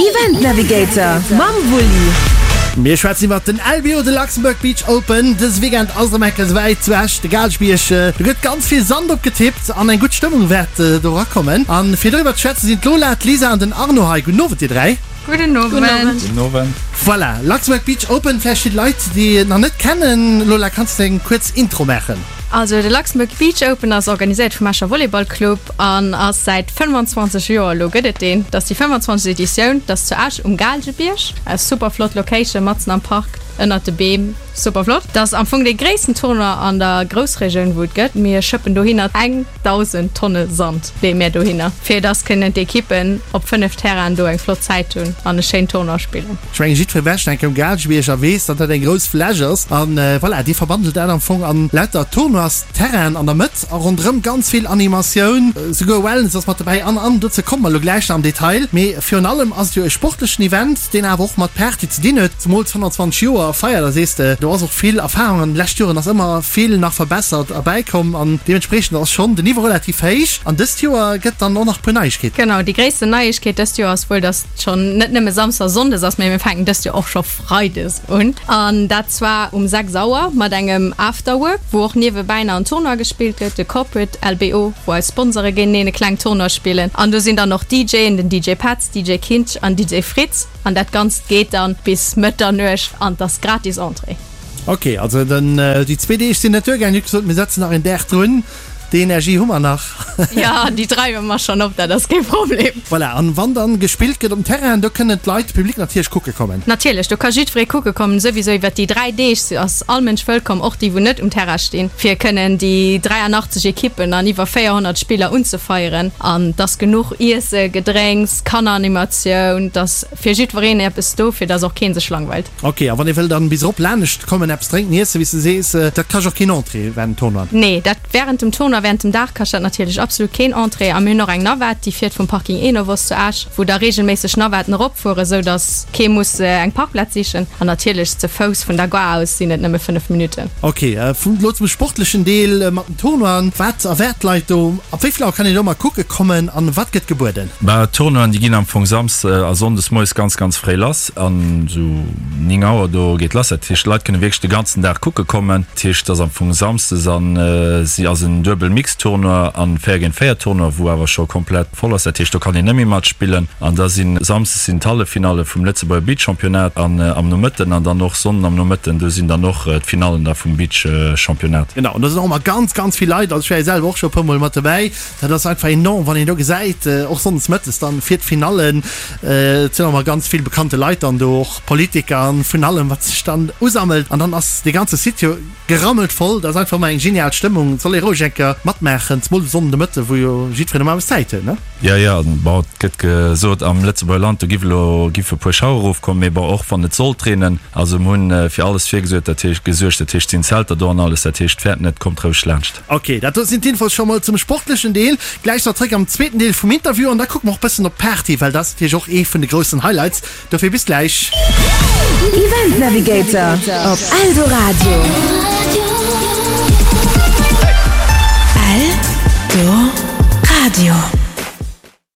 Event Navigator mam Wulli. Mir schwätzen iwwert den LBO, de Luxembourg Beach Open. Dëse Weekend ass et erëm eng Kéier esouwäit zu Esch, de Gaalgebierg. Do gëtt ganz vill Sand opgetippt an eng gutt Stëmmung wäert do erakommen. A fir doriwwer ze schwätzen sinn d'Lola, d'Lisa an den Arno hei. Gudden Owend dir 3. Gudden Owend. Gudden Owend. Voilà, Luxembourg Beach Open, vläicht fir d'Leit déi et nach net kennen. Lola, kanns de eng kuerz Intro maachen? Also de Luxembourg Beach Open ass organiséiert vum Escher Volleyball Club an ass säit 25 Joer elo gëtt et deen. Dat ass déi 25. Editioun. Dat ass zu Esch um Gaalgebierg. Eng super flott Location matzen am Park ënnert de Beem. Super flott. Dat ass am Fong dee gréissten Tournoi an der Groussregioun wou et gëtt. Mir schëppen dohinner 1.000 Tonne Sand leeë mir dohinner fir dass kënnen d'Ekippen op 5 Terrainen do eng flott Zäit hunn an e schéin Tournoi spillen. Ech mengen jiddweree wäscht enke um Gaalgebierg a weess, datt dat eng grouss Fläch ass. An voilà, dir verwandelt dat am Fong an lauter Tournois-Terrainen an der Mëtt a ronderëm ganz vill Animatioun, souguer Wellness ass mat dobäi an an. Dozou komme mer elo gläich nach am Detail. Mee virun allem ass et jo e sportlechen Event, deen awer och mat Party ze dinn huet, zemools 25 Joer Feier, da sees de, do ass och vill Erfahrung an de leschte Joren ass ëmmer vill nach verbessert a bäikomm an deementspreechend ass schonn den Niveau relativ héich. An dëst Joer gëtt dann och nach e puer Neiegkeeten. Genau, déi gréissten Neiegkeet dëst Joer ass wuel, datt schonn net nëmme Samsdes a Sonndes ass, mee mir fänken dëst Joer och scho Freides un. An dat zwar um 6 Auer mat engem Afterwork, wou och niewebäi nach en Tournoi gespillt gëtt, de Corporate LBO, wou eis Sponsore géinteneen e kleng Tournoi spillen. An do sinn dann och DJen, den DJ Petz, DJ Kinsch an DJ Fritz. An dat Ganzt geet dann bis Mëtternuecht an 't ass gratis Entrée. Ok, also den déi zwee Deeg sinn net duergaangen. Dir hutt gesot, mir setzen nach een Dag drun. Déi Energie hu mer nach. Jo, déi dreiwe mer schonn op, dat ass kee Problem. Voilà, an wann dann gespillt gëtt um Terrain, do kënnen d'Leit, de Public natierlech kucke kommen. Natierlech, do ka jiddweree kucke kommen. Souwisou iwwert déi 3 Deeg ass all Mënsch wëllkomm, och déi wou net um Terrain stinn, fir kënnen déi 83 Ekippen an iwwer 400 Spiller unzefeieren. An 't ass genuch Iesse, Gedrénks, Kanneranimatioun, 't ass fir jiddwereen eppes do, fir dass och kee sech langweilt. Ok, a wann ee wëll dann bis erop laanescht kommen, eppes drénken, iessen, wéi s de sees, dat kascht och keen Entrée während dem Tournoi? Nee, dat während dem Tournoi, während dem Dag kascht dat natierlech absolut keen Entrée. A mir hunn och eng Navette, déi fiert vum Parking Enovos zu Esch, wou da regelméisseg Navetten eropfueren, esou dass kee muss eng Parkplaz sichen. An natierlech ze Fouss vun der Gare aus sinn et nëmme 5 Minutten. Ok, elo zum sportlechen Deel mat den Tournoien. Wat erwaart d'Leit do? Ab wéi vill Auer kann een do mol kucke kommen an wat gëtt gebueden? Bah, d'Tournoien, déi ginn am Fong Samsdes a Sonndes moies ganz, ganz fréi lass. An esou 9 Auer do geet lass. Dat heescht, d'Leit kënne wierklech de ganzen Dag kucke kommen. Dat heescht, et ass am Fong samsdes an si ass en duebel Mixed-Tournoi an 4 géint 4 Tournoi, wou awer scho komplett voll ass. Dat heescht, do kann een net méi matspillen. An da si samsdes sinn d'Halleffinalle vum Lëtzebuerger Beach-Championnat an am Nomëtten an dann och Sonnden am Nomëtten, do sinn dann och d'Finallen da vum Beach-Championnat. Genau, an do sinn och ëmmer ganz, ganz vill Leit. Also ech war jo selwer och scho e puer Mol mat dobäi. Dat ass einfach enorm, wann een do gesäit, och sonndes mëttes dann fir d'Finallen, et sinn och ëmmer ganz vill bekannte Leit dann do, och Politiker an vun allem, wat sech dann usammelt. An dann ass dee ganze Site jo gerammelt voll. Dat ass einfach ëmmer eng genial Stëmmung. Et soll ee roueg eng Kéier matmaachen, zemol de Sonnden de Mëtte wou jo jiddwereen normalerweis Zäit huet, ne? Jo, jo, bon, et gëtt gesot, am Lëtzebuerger Land, do giff elo, giff e puer Schauer erofkommen, mee bon, och wann et sollt reenen, also mir hunn fir alles virgesuert, dat heescht, gesuergt, dat heescht, et sinn Zelter do an alles, dat heescht, fäert net, kommt roueg laanscht. Ok, dat do sinn d'Infos scho mol zum sportlechen Deel. Gläich nach zréck am zweeten Deel vum Interview an da kucke mer och bëssen op d'Party, well dat ass natierlech och ee vun de groussen Highlights. Dofir bis gläich. Event Navigator op Eldoradio. Eldoradio.